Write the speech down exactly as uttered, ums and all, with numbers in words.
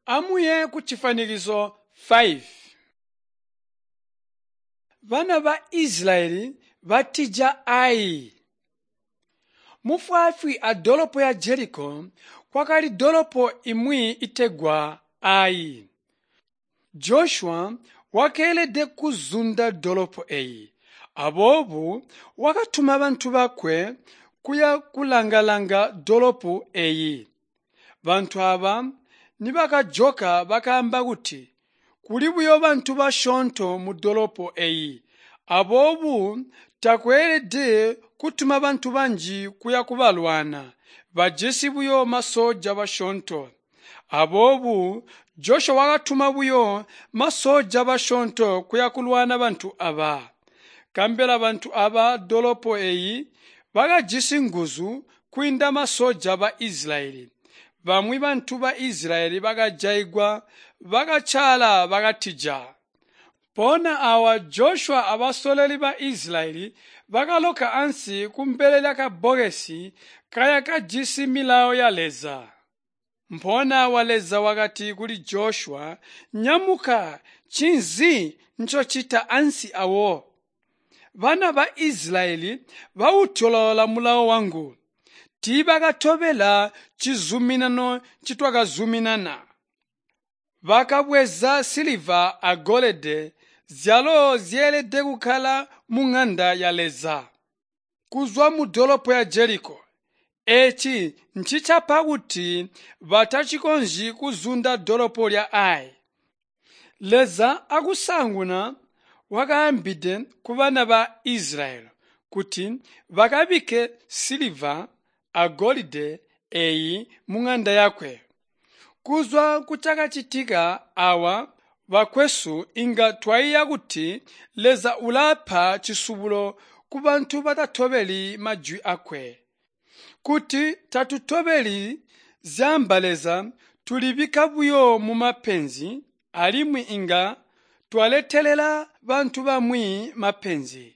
Amuye kucifanikiso five. Bana ba Isilayeli batija Ai. Mufwaafwi adolopo ya Jeliko kwakali dolopo imwi itegwa Ai. Joshua wakeelede kuzunda dolopo eyi. Aboobo wakatuma bantu bakwe kuya kulanga-langa dolopo eyi. Bantu aaba nibakajoka bakaamba kuti, kuli buyo bantu basyoonto mudolopo eyi, aboobo takweelede kutuma bantu banji kuya kubalwana, bajisi buyo masoja basyoonto. Aboobo Joshua wakatuma buyo masoja basyoonto kuya kulwana bantu aba. Kambela bantu aba dolopo eyi bakajisi nguzu kwiinda masoja ba Isilayeli. Bamwi bantu ba Isilayeli bakajaigwa bakacaala bakatija. Mpoona awa Joshua abasololi ba Isilayeli bakaloka ansi kumbele lyakabbokesi kaya kajisi milawo ya Leza. Mpoona awa Leza wakati kuli Joshua, nyamuka, ncinzi ncocita ansi awo? Bana ba Isilayeli bautyoloola mulawo wangu. Tiibakatobela cizuminano ncitwakazuminana. Bakabweza siliva agolide zyalo zyeelede kukkala muŋanda ya Leza. Kuzwa mudolopo ya Jeliko. Eeci ncicapa kuti batacikonzyi kuzunda dolopo lya Ai. Leza akusaanguna wakaambide kubana ba Isilayeli kuti bakabikke siliva agolide eeyi muŋanda yakwe. Kuzwa kucakacitika awa bakwesu inga twaiya kuti Leza ulapa cisubulo kubantu batatobeli majwi akwe. Kuti tatutobeli zyaamba Leza tulibikka buyo mumapenzi alimwi inga twaletelela bantu bamwi mapenzi.